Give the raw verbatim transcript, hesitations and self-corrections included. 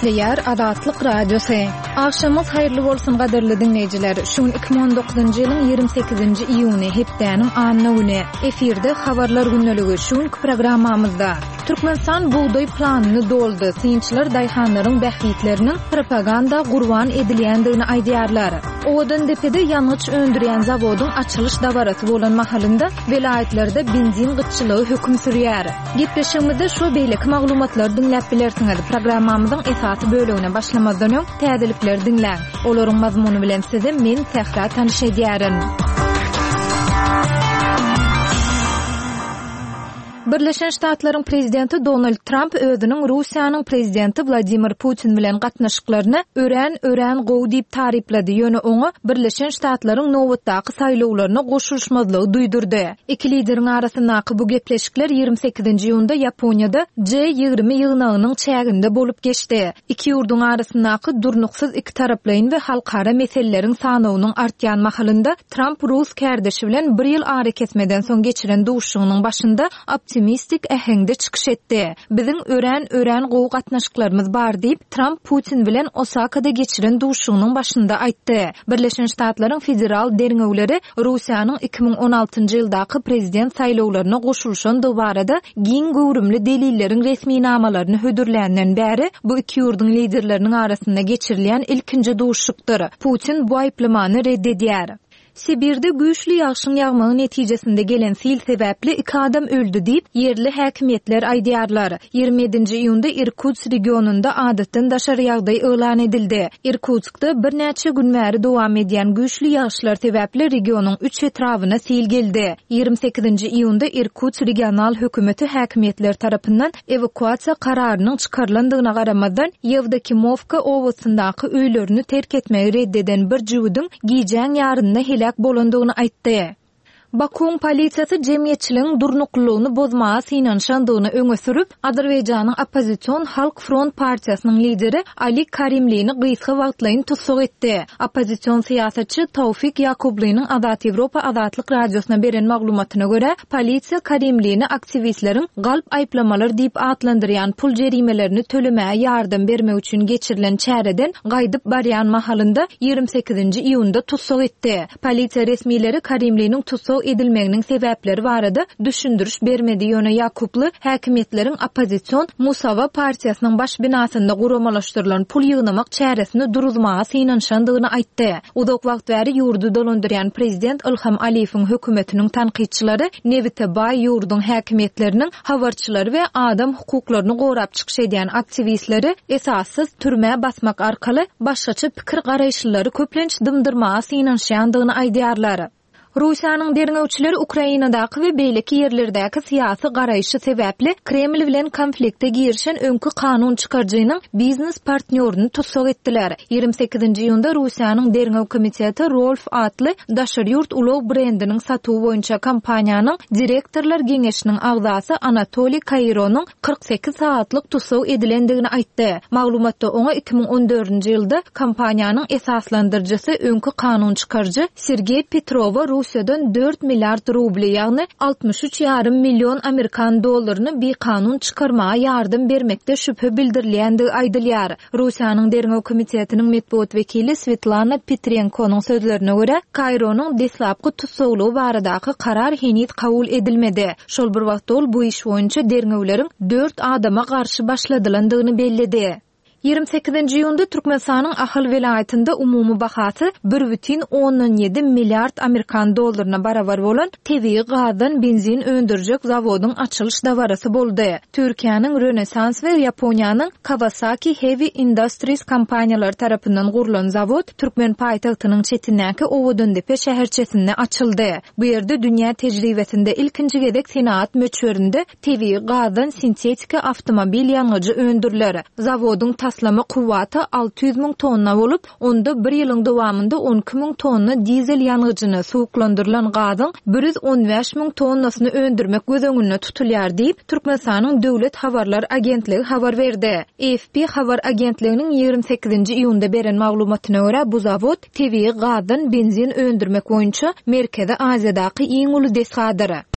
Gepleýär Azatlyk Radiosy. Agşamyňyz haýyrly bolsun gadyrly diňleýjiler. Şu gün iki müň on dokuzynjy ýylyň ýigrimi sekizinji iýuny, hepdäniň anna güni. Efirde Habarlar gündeligi. Şu günki programmamyzda Türkmenistan bugdaý planyny doldy. Synçylar daýhanlaryň bähbitleriniň propaganda gurban edilýändigini aýdýarlar. Owadandepede ýangyç öndürýän zawodyň açylyş dabarasy bolan mahalynda welaýatlarda benzin gytçylygy höküm sürýär. Gepleşigimizde şu beýleki maglumatlary diňläp bilersiňiz. Programmamyzyň esasy bölegine başlamazdan öň täzelikleri diňläň. Olaryň mazmuny bilen sizi men Sähra tanyş edýärin. Birleşen Ştatlaryň prezidenti Donald Tramp özüniň Russiýanyň prezidenti Wladimir Putin bilen gatnaşyklaryny örän, örän gowy diýip taryplady, ýöne oňa Birleşen Ştatlaryň nobatdaky saýlawlaryna goşulyşmazlygy duýdurdy. Iki lideriň arasyndaky bu gepleşikler ýigrimi sekizinji iýunda Ýaponiýada G ýigrimi ýygnagynyň çäginde bolup geçdi. Iki ýurduň arasyndaky durnuksyz iki taraplaýyn we halkara meseleleriň sanawynyň artýan mahalynda Tramp rus kärdeşi bilen bir ýyl arakesmeden soň geçiren duşuşygynyň başynda optimistik äheňde çykyş etdi. Biziň örän, örän gowy gatnaşyklarymyz bar diýip, Tramp Putin bilen Osakada geçiren duşuşygynyň başynda aýtdy. Birleşen Ştatlaryň federal derňewleri Russiýanyň iki müň on altynjy ýyldaky prezident saýlawlaryna goşulyşandygy barada giň göwrümli delilleriň resminamalaryny hödürländen bäri bu iki ýurduň liderleriniň arasynda geçirilýän ilkinji duşuşykdyr. Putin bu aýyplamany red edýär. Sibirde güýçli ýagşyň ýagmagy netijesinde gelen sil sebäpli iki adam öldi diýip, ýerli häkimiýetler aýdýarlar. Ýigrimi ýedinji iýunda Irkutsk regionynda adatdan daşary ýagdaý yglan edildi. Irkutskda birnäçe gün bäri dowam edýän güýçli ýagyşlar sebäpli regionyň üç etrabyna sil geldi. Ýigrimi sekizinji iýunda Irkutsk regional hökümeti häkimiýetler tarapyndan ewakuasiýa kararynyň çykarylandygyna garamazdan, Ýewdokimowka obasyndaky öýlerini terk etmegi red eden bir jüwüdiň gijäň ýarynda heläk bolandygyny aýtdy. Bakuň polisiýasy jemgyýetçiligiň durnuklylygyny bozmaga synanyşandygyny öňe sürüp, Azerbaýjanyň oppozision Halk Front partiýasynyň lideri Ali Karimlini gysga wagtlaýyn tussag etdi. Oppozision syýasatçy Tawfik Ýakublynyň Azat Ýewropa Azatlyk Radiosyna beren maglumatyna görä, polisiýa Karimlini aktiwistleriň galp aýyplamalar diýip atlandyrýan pul jerimelerini tölemäge ýardam bermek üçin geçirilen çäreden gaýdyp barýan mahalynda ýigrimi sekizinji iýunda tussag etdi. Polisiýa resmileri Karimliniň tussag edilmeginiň sebäpleri barada düşündiriş bermedi. Ýöne Ýakubly häkimiýetleriň oppozision Musawa partiýasynyň baş binasynda guramalaşdyrylan pul ýygnamak çäresini duruzmaga synanyşandygyny aýtdy. Uzak wagt bäri ýurdy dolandyrýan prezident Ilham Aliýewiň hökümetiniň tankytçylary nebite baý ýurduň häkimiýetleriniň habarçylary we adam hukuklaryny gorap çykyş edýän aktiwistleri esassyz türmä basmak arkaly başgaça pikir garaýyşlylary köplenç dymdyrmaga synanyşýandygyny aýdýarlar. Russiýanyň derňewçileri Ukrainadaky we beýleki ýerlerdäki syýasy garaýşy sebäpli Kreml bilen konflikte girişen öňki kanun çykaryjynyň biznes partnýoryny tussag etdiler. Ýigrimi sekizinji iýunda Russiýanyň derňew komiteti Rolf atly daşary ýurt ulag brendiniň satuwy boýunça kompaniýanyň direktorlar geňeşiniň agzasy Anatoliý Kaironyň kyrk sekiz sagatlyk tussag edilendigini aýtdy. Maglumatda oňa iki müň on dördünji ýylda kompaniýanyň esaslandyryjysy öňki kanun çykaryjy Sergeý Petrowa Russiýadan dört milliard rubly, ýagny altmyş üç ýarym million amerikan dollaryny bikanun çykarmaga ýardam bermekde şübhe bildirilýändigi aýdylýar. Russiýanyň derňew komitetiniň metbugat wekili Svetlana Petrenkonyň sözlerine görä, Kaironyň deslapky tussaglygy baradaky karar heniz kabul edilmedi. Şol bir wagtda ol bu iş boýunça derňewleriň dört adama garşy başladylandygyny belledi. Ýigrimi sekizinji iýunda Türkmenistanyň Ahal welaýatynda umumy bahasy bir bütin ondan ýedi milliard amerikan dollaryna barabar bolan tebigy gazdan benzin öndürjek zawodyň açylyş dabarasy boldy. Türkiýäniň Rönesans we Ýaponiýanyň Kawasaki Heavy Industries kompaniýalary tarapyndan gurlan zawod Türkmen paýtagtynyň çetindäki Owadandepe şäherçesinde açyldy. Bu ýerde dünýä tejribesinde ilkinji gezek senagat möçberinde tebigy gazdan sintetiki awtomobil ýangyjy öndüriler. Zawodyň taslama kuwwaty alty ýüz müň tonna bolup, onda bir ýylyň dowamynda on iki müň tonna dizel ýangyjyny, suwuklandyrylan gazyň bir ýüz on bäş müň tonnasyny öndürmek göz öňünde tutulýar diýip, Türkmenistanyň Döwlet habarlar agentligi habar berdi. A F P habar agentliginiň ýigrimi sekizinji iýunda beren maglumatyna görä, bu zawod tebigy gazdan benzin öndürmek boýunça Merkezi Aziýadaky iň uly desgadyr.